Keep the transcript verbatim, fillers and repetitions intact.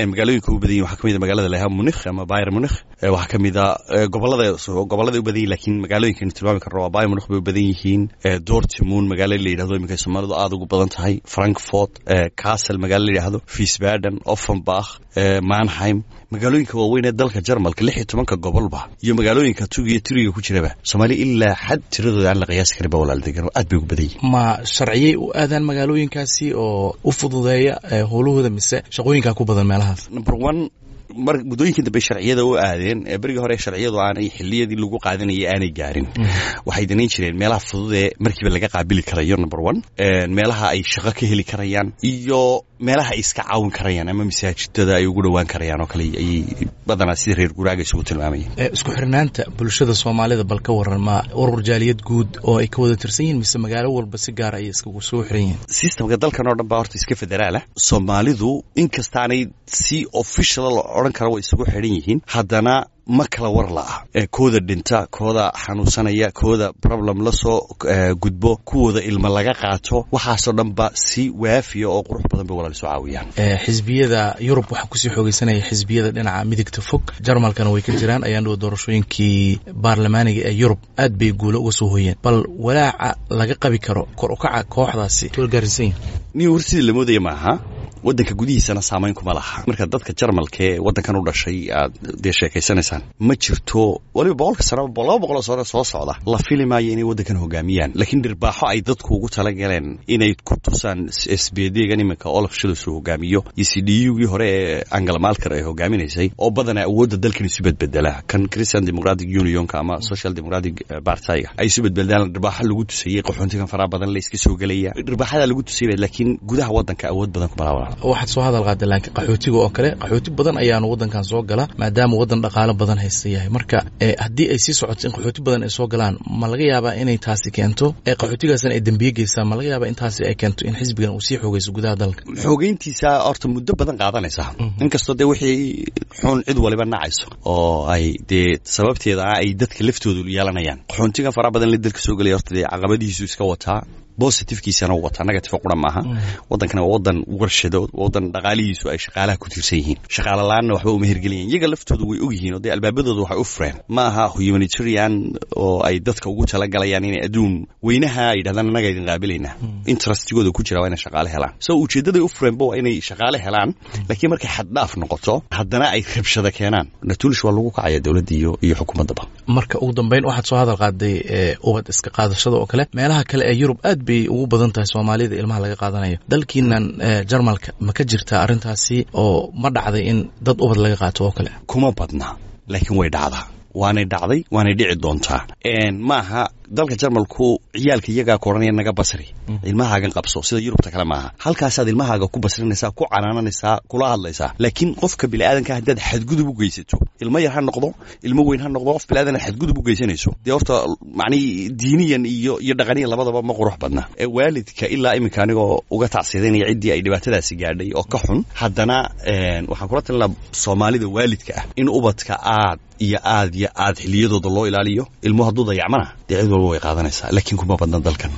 Magaalooyinka u badan yihin waxaa kamid a magaalada lahaa Munich ama Bayern Munich. Waxaa kamid a gobolada gobolada u badan yihin, lakiin magaalooyinka aynu tilmaami karno waa Bayern Munich bay u badan yihiin, Dortmund magaalo la yidhahdo iminka Soomaalidu aada ugu badan tahay, Frankfurt, Kassel magaalo la yidhahdo, Wiesbaden, Offenbach, Mannheim. Magaalooyinka waaweyn ee dalka Jarmalka, lix iyo tobanka gobolba iyo magaalooyinka tuga iyo turiga ku jiraba, Soomaaliya ilaa xad tiradooda aan la qiyaasi karin ba walaal degan oo aad bay ugu badan yihin. Ma sharciyey u aadaan magaalooyinkaasi oo u fududeeya howlahooda, mise shaqooyinkaa ku badan meelahaas? Number one, mar muddooyinkii dambe sharciyada u aadeen. Berigii hore sharciyadu aanay xiliyadii lagu qaadanayay aanay gaarin, waxay danayn jireen meelaha fudud ee markiiba laga qaabili karayo, number one, meelaha ay shaqo ka heli karayaan iyo meelaha ay iska caawin karayaan ama masaajidada ay ugu dhowaan karayaan oo kale ayay badanaa sida reer guraaga isugu tilmaamayeen. Isku xirnaanta bulshada Soomaalida bal ka waran. Ma urur jaaliyad guud oo ay ka wada tirsan yihiin, mise magaalo walba si gaar ayay iskagu soo xiran yihiin? Systemka dalkan oo dhan baa horta iska federaala. Soomaalidu inkastaanay si official la odhan kara way isugu xidhan yihiin, haddana ma kala war la'a. Kooda dhinta, kooda xanuunsanaya, kooda problem la soo gudbo, kuwooda ilma laga qaato, waxaasoo dhan ba si waafiya oo qurux badan bay walaal isu caawiyaan. Xisbiyada Yurub waxaa kusii xoogeysanaya xisbiyada dhinaca midigta fog. Jarmalkana way ka jiraan. Ayaan dhow doorashooyinkii baarlamaaniga ee Yurub aad bay guulo uga soo hoyeen. Bal walaaca laga qabi karo kor ukaca kooxdaasi toolgaarsiisan yahay? Nin hor sidii la moodaya maaha. Waddanka gudihiisana saamayn kuma laha. Marka dadka Jarmalka ee waddankan u dhashay aad dee sheekaysanaysaan, ma jirto waliba boqolka sano, laba boqoloo sano soo socda la fili maayo inay waddankan hogaamiyaan, laakiin dhirbaaxo ay dadku ugu talagaleen inay ku tusaan S P D gan iminka Olaf Scholz uu hogaamiyo iyo C D U gii hore ee Angela Merkel ay hogaaminaysay, oo badanaa awoodda dalkan isu bedbedela, kan Christian Democratic Unionka ama Social Democratic Partyga ay isu bedbedelaan, dhirbaaxo lagu tusayey qaxoontigan faraha badan la iska soo gelaya, dhirbaaxadaa lagu tusayay, laakiin gudaha waddanka awood badan kuma laha. Waxaad soo hadal qaada laakiin qaxootiga oo kale, qaxooti badan ayaanu waddankan soo gala maadaama waddan dhaqaalo badan haysta yahay. Marka haddii ay sii socoto in qaxooti badan ay soo galaan, ma laga yaabaa inay taasi keento qaxootigaasna ay dembiye geystaan? Ma laga yaabaa in taasi ay keento in xisbigan uu sii xoogeyso gudaha dalka? Xoogeyntiisa horta muddo badan qaadanaysa, inkastoo dee wixii xun cid waliba nacayso oo ay dee sababteeda ah ay dadka laftoodu yeelanayaan. Qaxoontigan faraha badan la dalka soo gelaya horta dee caqabadihiisu iska wataa, positive-kiisana u wataa, negative qura maaha. Waddankana waa waddan warshado, waddan dhaqaalihiisu ay shaqaalaha ku tiirsan yihiin. Shaqaala la-aanna waxba uma hirgeliyan. Iyaga laftoodu way og yihiin oo dee albaabadooda waxay u fureen ma aha humanitarian oo ay dadka ugu talagalayaan inay adduun weynaha ay yidhahdaan annaga idin qaabilaynaa. Interestigooda ku jira waa inay shaqaale helaan, so ujeeddaday u fureenba waa inay shaqaale helaan. Laakiin markay xaddhaaf noqoto, haddana ay rabshada keenaan, natulish waa lagu kacaya dowladda iyo iyo xukuumaddaba. Marka ugu dambeyn, waxaad soo hadal qaaday ubad iska qaadashada oo kale. Meelaha kale ee Yurub aad bay ugu badan tahay Soomaalida ilmaha laga qaadanayo. Dalkiinan Jarmalka ma ka jirtaa arrintaasi, oo ma dhacday in dad ubad laga qaato oo kale? Kuma badna, laakiin way dhacdaa, waanay dhacday, waanay dhici doontaa. Maaha dalka Jarmalku ciyaalka iyagaa ku odhanaya naga basri, ilmahaagan qabso, sida Yurubta kale maaha. Halkaasaad ilmahaaga ku basrinaysaa, ku canaananaysaa, kula hadlaysaa. Laakiin qofka biniaadanka haddaad xadgudub u geysato, ilmo yar ha noqdo, ilmo weyn ha noqdo, qof biniaadan xadgudub u geysanayso, dee horta macnihii diiniyan iyo iyo dhaqaniyan labadaba ma qurux badna. Waalidka ilaa iminka anigoo uga tacsiidanaya ciddii ay dhibaatadaasi gaadhay oo ka xun, haddana waxaan kula talinaa Soomaalida waalidka ah in ubadka aad iyo aad iyo aad xiliyadooda loo ilaaliyo. Ilmuhu hadduu dayacmana dee cid walba way qaadanaysaa, laakiin kuma badna dalkan.